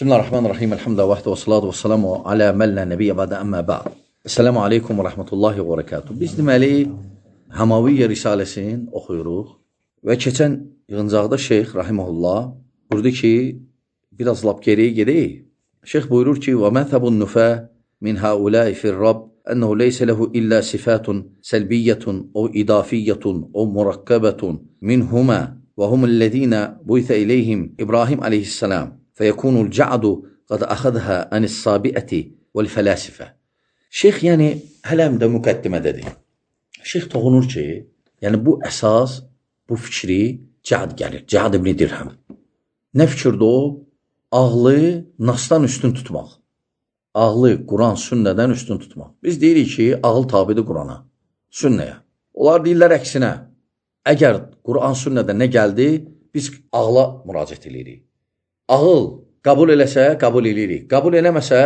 Bismillahirrahmanirrahim. Elhamdülillah vahdə və salatu və salamu alə məllə nəbiyyə bədə əmmə bə'd. Esselamu aleykum və rəhmətullahi və bərəkatuhu. Biz deməli Hamaviyyə Risaləsini oxuyuruq və keçən yığıncaqda Şeyx rahimehullah buyurdu ki, biraz lap geriyə gedək. Şeyx buyurur ki, və məzhabun nufə min haulai fir-rabb ennehu leysə lehu illə sifatun səlbiyyətun o idafiyyətun o murakkabətun minhuma və humullezina buytə ileyhim İbrahim aleyhissalam. فيكون الجعد قد أخذها عن الصابئة والفلاسفة. Şeyx yəni hələm də müqəddimədədir. Şeyx toxunur ki, yəni bu əsas, bu fikri Cəd gəlir. Cəd ibn Dirhəm. Nə fikirdir o? Ağlı nasdan üstün tutmaq. Ağlı Quran, sünnədən üstün tutmaq. Biz deyirik ki, ağıl tabidir Qurana, sünnəyə. Onlar deyirlər əksinə. Əgər Quran, sünnədə nə gəldi, biz ağla müraciət edirik. Ağıl qəbul eləsə, qəbul edirik. Qəbul eləməsə,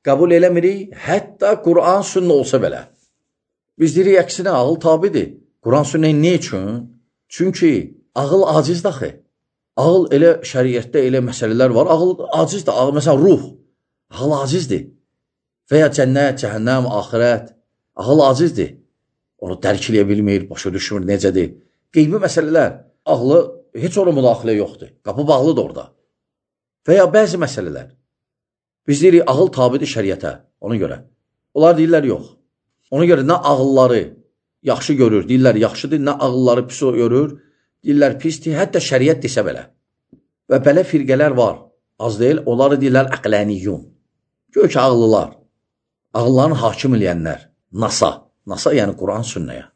qəbul eləmirik, hətta Quran, sünnə olsa belə. Biz deyirik, əksinə, ağıl tabidir. Quran, sünnə nə üçün? Çünki ağıl acizdir axı. Ağıl elə şəriətdə elə məsələlər var. Ağıl acizdir. Ağıl, məsələn, ruh. Ağıl acizdir. Və ya cənnət, cəhənnəm, axirət. Ağıl acizdir. Onu dərk eləyə bilmir, başa düşmür, necədir. Qeybi məsələlər. Ağlı heç ona müdaxilə yoxdur. Qapı bağlıdır orada. Və ya bəzi məsələlər. Biz deyirik, ağıl tabidir şəriətə, ona görə. Onlar deyirlər, yox. Ona görə nə ağılları yaxşı görür, deyirlər, yaxşıdır, nə ağılları pis görür, deyirlər, pisdir, hətta şəriət desə belə. Və belə firqələr var, az deyil, onları deyirlər, əqləniyyun. Gör ki, ağıllılar, ağıllarını hakim eləyənlər, NASA yəni Quran, sünnəyə.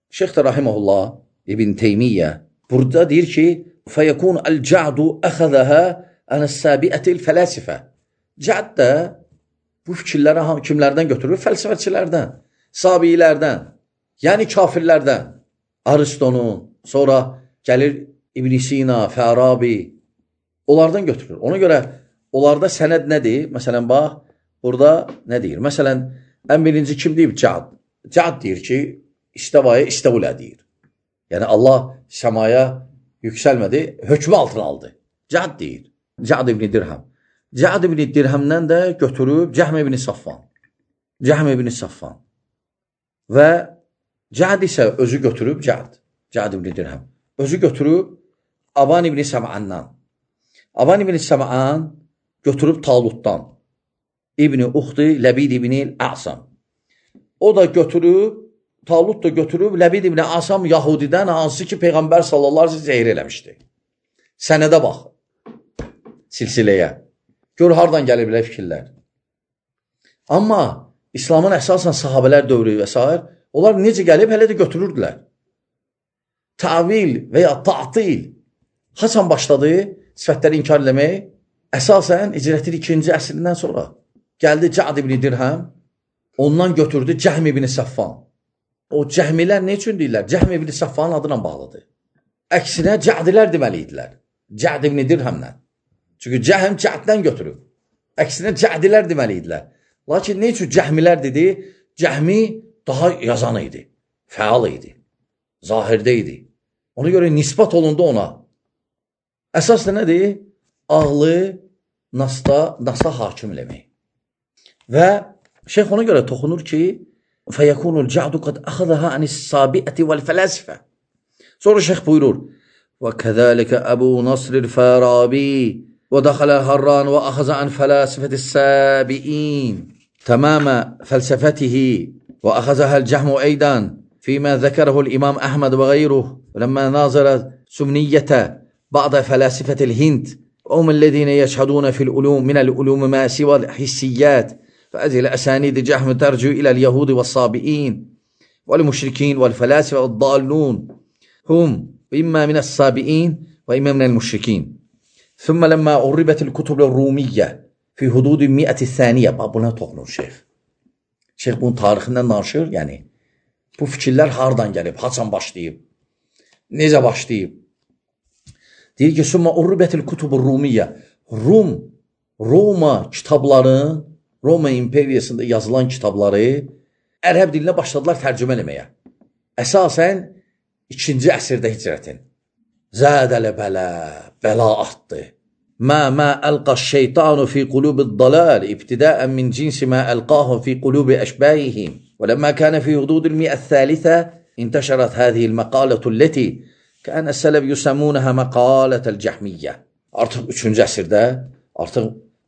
Şeyx də rahimehullah, İbn Teymiyyə, burada deyir ki, fəyəkun əl-ca'du əxədəhə ənəs-səbiətil fələsifə. Cəd də bu fikirləri kimlərdən götürür? Fəlsəfəçilərdən, sabiilərdən, yəni kafirlərdən. Aristonun, sonra gəlir İbn Sina, Fərabi, onlardan götürür. Ona görə onlarda sənəd nədir? Məsələn, bax, burada nə deyir? Məsələn, ən birinci kim deyib? Cəd. Cəd deyir ki, istəvaya istəvulə deyir. Yəni, Allah səmaya yüksəlmədi, hökmü altına aldı. Cəd deyir. Cəd ibn Dirhəm. Cəd ibn Dirhəmdən də götürüb Cəhm ibn Safvan. Cəhm ibn Safvan. Və Cəd isə özü götürüb Cəd ibn Dirhəm. Özü götürüb Aban ibn Səm'andan. Aban ibn Səm'an götürüb Talutdan. İbn Uxti Ləbid ibn Əsam. O da götürüb, Talut da götürüb Ləbid ibn Əsam Yahudidən, hansı ki Peyğəmbər sallallahu aleyhi zəhir eləmişdi. Sənədə bax. Silsiləyə. Gör, hardan gəlir belə fikirlər. Amma İslamın əsasən sahabələr dövrü və s. onlar necə gəlib, hələ də götürürdülər. Tavil və ya ta'til haçan başladı sifətləri inkar eləmək? Əsasən icrətin 2-ci əsrindən sonra. Gəldi Cəd ibn Dirhəm, ondan götürdü Cəhm ibn Səffan. O cəhmilər nə üçün deyirlər? Cəhm ibn Səffanın adına bağlıdır. Əksinə Cədilər deməli idilər. Cəd ibn Dirhəmlə. Çünki Cəhm Cəddən götürüb. Əksinə Cədilər deməli idilər. Lakin nə üçün Cəhmilər dedi? Cəhmi daha yazan idi, fəal idi, zahirdə idi. Ona görə nisbat olundu ona. Əsas da nədir? Ağlı nasda hakim eləmək. Və şeyx ona görə toxunur ki, فَيَكُونُ الْجَعْدُ قَدْ أَخَذَهَا عَنِ السَّابِئَةِ وَالْفَلَاسِفَةِ. Sonra şeyx buyurur, وَكَذَلِكَ أَبُو نَصْرِ الْفَارَابِي وَدَخَلَ الْهَرَّانِ وَأَخَذَ عَنْ فَلَاسِفَةِ السَّابِئِينَ تَمَامَ فَلْسَفَتِهِ وأخذها الجهم أيضا فيما ذكره الإمام أحمد وغيره لما ناظر سمنية بعض فلاسفة الهند وهم الذين يشهدون في العلوم من العلوم ما سوى الحسيات فهذه الأسانيد جهم ترجع إلى اليهود والصابئين والمشركين والفلاسفة الضالون هم إما من الصابئين وإما من المشركين. ثم لما عربت الكتب الرومية في حدود 100 الثانية buna toxunur şeyx. Şeyx bunun tarixindən danışır, yəni bu fikirlər hardan gəlib, haçan başlayıb, necə başlayıb. Deyir ki, summa urribətil kutubur rumiyyə. Roma kitabların, Roma imperiyasında yazılan kitabları ərəb dilinə başladılar tərcümə eləməyə. Əsasən 2-ci əsrdə hicrətin. Zədələ bələ artdı. ما ألقى الشيطان في قلوب الضلال ابتداء من جنس ما ألقاه في قلوب أشباههم ولما كان في حدود المئة الثالثة انتشرت هذه المقالة التي كان السلف يسمونها مقالة الcəhmiyyə. Artıq 3-cü əsrdə artıq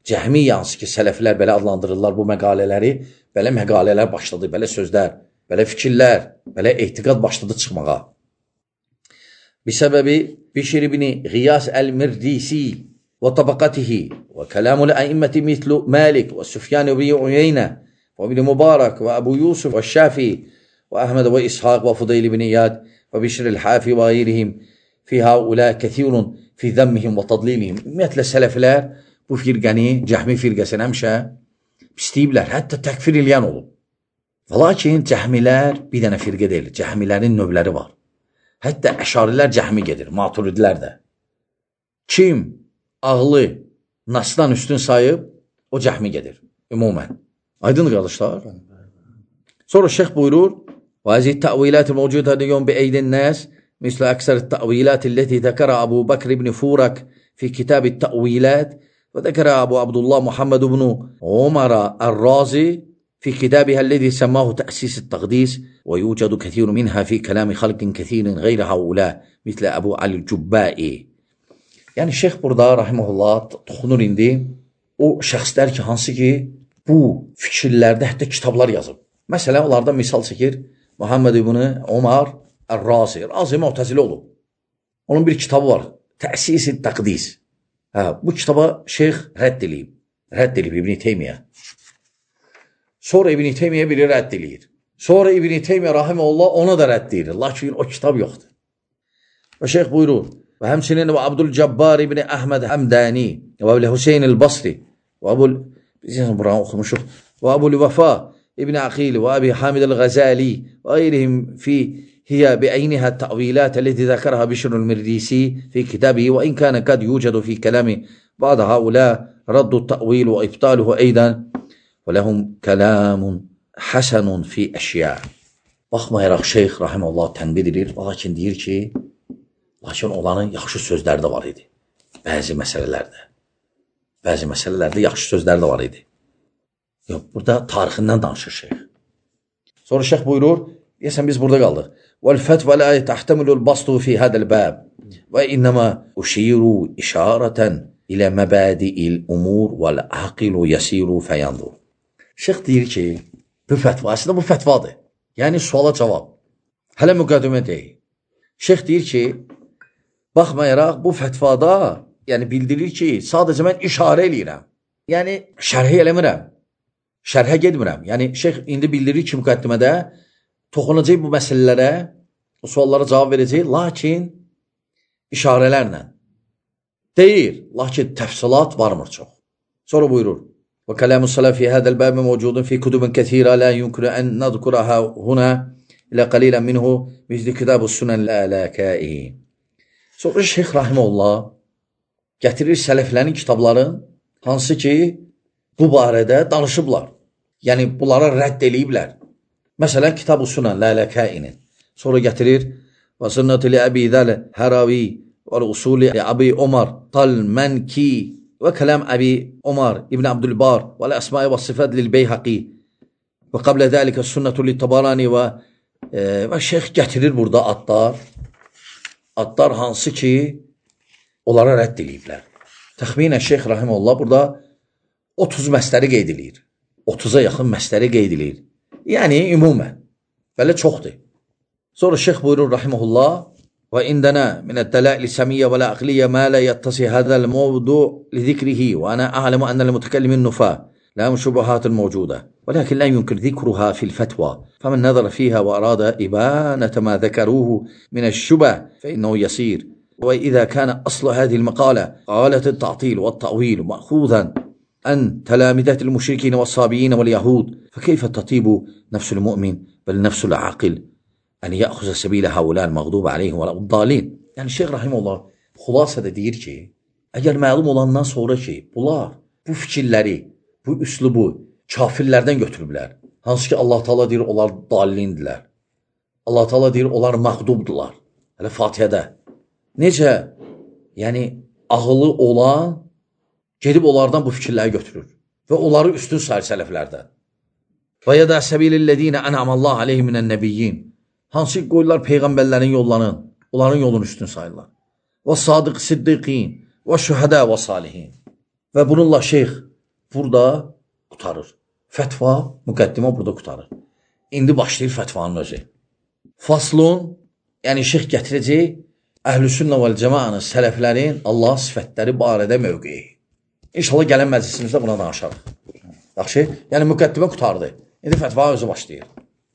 cəhmiyyə hansı ki sələflər belə adlandırırlar bu məqalələri, belə məqalələr başladı, belə sözlər, belə fikirlər, belə etiqad başladı çıxmağa. بسبب بشر بن غياث المرديسي وطبقته وكلام الأئمة مثل مالك والسفيان بن عيينة وابن مبارك وأبو يوسف والشافعي وأحمد وإسحاق وفضيل بن إياد وبشر الحافي وغيرهم في هؤلاء كثير في ذمهم وتضليلهم. Ümumiyyətlə sələflər bu firqəni, cəhmi firqəsini həmişə pisləyiblər, hətta təkfir eləyən olub. Lakin cəhmilər bir dənə firqə deyil, cəhmilərin növləri var. Hətta əşarilər cəhmi gedir, maturidlər də. Kim ağlı nasdan üstün sayıb, o cəhmi gedir, ümumən. Aydın qardaşlar. Sonra şeyh buyurur, وهذه التأويلات الموجودة اليوم بأيدي الناس مثل أكثر التأويلات التي ذكرها أبو بكر بن فورك في كتاب التأويلات وذكر أبو عبد الله محمد بن عمر الرازي في كتابها الذي سماه تأسيس التقديس ويوجد كثير منها في كلام خلق كثير غير هؤلاء مثل أبو علي الجبائي. Yani şeyh burada rahimehullah toxunur indi o şəxslər ki, hansı ki bu fikirlərdə hətta kitablar yazıb. Məsələn, onlardan misal çəkir Muhammed ibn Umar Ar-Razi. Razi Mu'təzili olub. Onun bir kitabı var. Təsis-i Təqdis. Bu kitaba şeyh rədd edib İbn Teymiyyə. Sonra İbn Teymiyyə biri rədd edir. Sonra İbn Teymiyyə rahimehullah ona da rədd edir. Lakin o kitab yoxdur. Və şeyh buyurur. Və həmçinin və Abdülcəbbar ibn Əhməd Həmdani və Əbu Hüseyn el-Basri və Əbu Vəfa ابن عقيل وأبي حامد الغزالي وغيرهم هي بعينها التأويلات التي ذكرها بشر المرديسي في كتابه وإن كان قد يوجد في كلام بعض هؤلاء رد التأويل وإبطاله أيضا ولهم كلام حسن في أشياء. Baxmayaraq şeyh rahimehullah tənbih edir, lakin deyir ki, lakin onların yaxşı sözləri də var idi. Bəzi məsələlərdə yaxşı sözləri də var idi. Yox, burada tarixindən danışır şeyh. Sonra şeyh buyurur, deyəsən biz burada qaldıq. وَالْفَتْوَ لَا تَحْتَمِلُ الْبَسْطُ فِي هَذَا الْبَابِ وَإِنَّمَا أُشِيرُ إِشَارَةً إِلَى مَبَادِئِ الْأُمُورِ وَالْعَقِلُ يَسِيرُ فَيَنْظُرُ. Şeyh deyir ki, bu fətva, aslında bu fətvadır. Yəni suala cavab. Hələ müqəddimə deyil. Şeyh deyir ki, baxmayaraq bu fətvada, yəni bildirir ki, sadəcə mən işarə eləyirəm. Yəni şərh eləmirəm. Şərhə getmirəm. Yəni şeyh indi bildirir ki, müqəddimədə toxunacaq bu məsələlərə, o suallara cavab verəcək, lakin işarələrlə. Deyir, lakin təfsilat varmır çox. Sonra buyurur. Və kələmus salaf fi hədəl bəbi mövcudun fi kutubun kəthirə la yumkinu ən nadkurəhə huna ilə qalilən minhu misli kitabus sunan lələkəi. Sonra şeyh rahimehullah gətirir sələflərin kitabların hansı ki bu barədə danışıblar. Yəni bunlara rədd eləyiblər. Məsələn, Kitab-ı Sunan Lələkəinin. Sonra gətirir və sünnəti li Əbi Zəl Həravi və usuli Əbi Omar Talmənki və kələm Əbi Omar İbn Abdülbar və əsma və sifət lil-Beyhaqi və qablə dəlikə sünnətu li-Tabarani və şeyh gətirir burada adlar hansı ki onlara rədd eləyiblər. Təxminən şeyh rahimehullah burada 30 məsləri qeyd edir. 30-a yaxın məsləri qeyd edir. Yəni ümumən belə çoxdur. Sonra şeyh buyurur rahimehullah və indana min ad-dalail as-samiyyə və al-aqliyyə ma la yattasi hadha al-mawdu' li dhikrihi və ana a'lamu anna al-mutakallimin nufa lahum shubuhat mawjuda ولكن لا يمكن ذكرها في الفتوى فمن نظر فيها وأراد إبانة ما ذكروه من الشبه فإنه يسير. وإذا كان أصل هذه المقالة قالة التعطيل والتأويل مأخوذا عن تلامذة المشركين والصابئين واليهود فكيف تطيب نفس المؤمن بل نفس العاقل أن يأخذ سبيل هؤلاء المغضوب عليهم ولا الضالين. Yani Şeyh Rahimullah xülasədə deyir ki, əgər məlum olandan sonra ki, bunlar bu fikirləri, bu üslubu kafirlərdən götürüblər. Hansı ki Allah Taala deyir onlar dallindirlər. Allah Taala deyir onlar məğdubdular. Hələ Fatihədə. Necə? Yəni ağılı olan gedib onlardan bu fikirləri götürür və onları üstün sayır sələflərdən. Və ya da səbilillədinə ənəmallahu aleyhi minən nəbiyyin, hansı qoyurlar peyğəmbərlərin yollarını, onların yolunu üstün sayırlar. Və sadiq siddiqin, və şühədə və salihin. Və bununla şeyx burada qutarır. Fətva, müqəddimə burada qutarır. İndi başlayır fətvanın özü. Faslun, yəni şeyx gətirəcək Əhlüsünnə vəl cəmaənin, sələflərin Allah sifətləri barədə mövqeyi. İnşallah gələn məclisimizdə buna danışarıq. Yaxşı? Yəni müqəddimə qutardı. İndi fətva özü başlayır.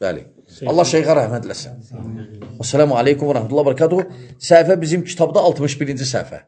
Bəli. Allah şeyxə rəhmət eləsin. Esselamu aleykum və rəhmətullahi və bərəkatuhu. Səhifə bizim kitabda 61-ci səhifə.